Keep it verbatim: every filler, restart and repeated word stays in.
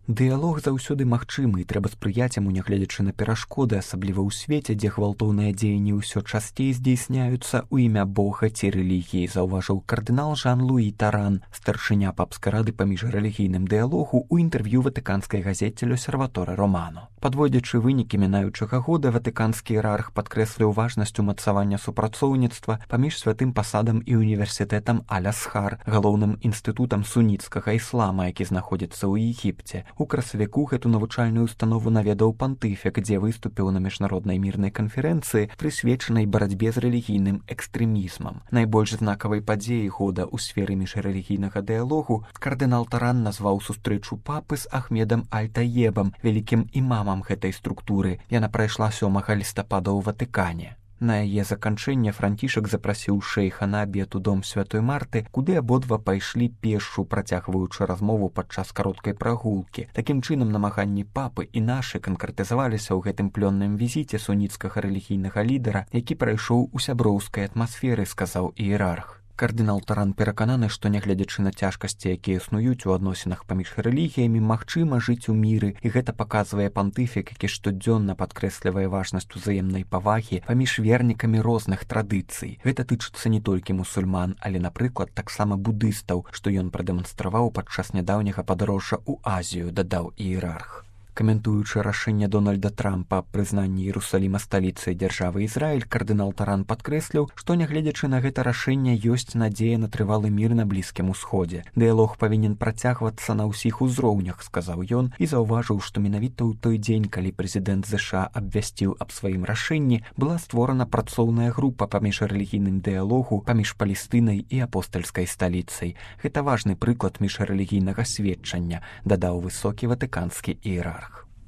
Дыялог заўсёды магчымы, і трэба спрыяць яму, нягледзячы на перашкоды, асабліва ў свеце, дзе гвалтоўныя дзеянні ўсё часцей здзейсняюцца ў імя Бога ці рэлігіі, заўважыў кардынал Жан-Луі Таран, старшыня папскай рады па міжрэлігійным дыялогу ў інтэрв'ю ватыканскай газеце «L'Osservatore Romano». Падводзячы вынікі мінаючага года, ватыканскі іерарх падкрэсліў важнасць умацавання супрацоўніцтва паміж святым пасадам і універсітэтам Аль-Азхар, галоўным інстытутам суніцкага іслама, які знаходзіцца ў Егіпце. У красавіку гэту навучальную установу наведаў пантыфік, дзе выступіў на міжнароднай мірнай канферэнцыі, прысвечанай барацьбе з рэлігійным экстрэмізмам. Найбольш знакавай падзеяй года ў сферы міжрэлігійнага дыялогу кардынал Таран назваў сустрэчу папы з Ахмедам Аль-Таебам, вялікім імамам гэтай структуры. Яна прайшла сёмага лістапада ў Ватыкане. На яе заканчэнне Францішак запрасіў шэйха на абед у дом святой Марты, куды абодва пайшлі пешшу, працягваючы размову падчас кароткай прагулкі. Такім чынам, намаганні папы і нашы канкрэтызаваліся ў гэтым плённым візіце суніцкага рэлігійнага лідара, які прайшоў у сяброўскай атмасферы, сказаў іерарх. Кардынал Таран перакананы, што нягледзячы на цяжкасці, якія існуюць у адносінах паміж рэлігіямі, магчыма жыць у міры, і гэта паказвае пантыфік, які штодзённа падкрэслівае важнасць узаемнай павагі паміж вернікамі розных традыцый. Гэта тычыцца не толькі мусульман, але, напрыклад, таксама будыстаў, што ён прадэманстраваў падчас нядаўняга падарожжа ў Азію, дадаў іерарх. Каментуючы рашэнне Дональда Трампа аб прызнанні Іерусаліма сталіцай дзяржавы Ізраіль, кардынал Таран падкрэсліў, што нягледзячы на гэта рашэнне ёсць надзея на трывалы мір на Блізкім Усходзе. Дыялог павінен працягвацца на ўсіх узроўнях, сказаў ён, і заўважыў, што менавіта ў той дзень, калі прэзідэнт ЗША абвясціў аб сваім рашэнні, была створана працоўная група па міжрэлігійным дыялогу паміж Палестынай і апостальскай сталіцай. Гэта важны прыклад міжрэлігійнага сведчання, дадаў высокі ватыканскі іерарх.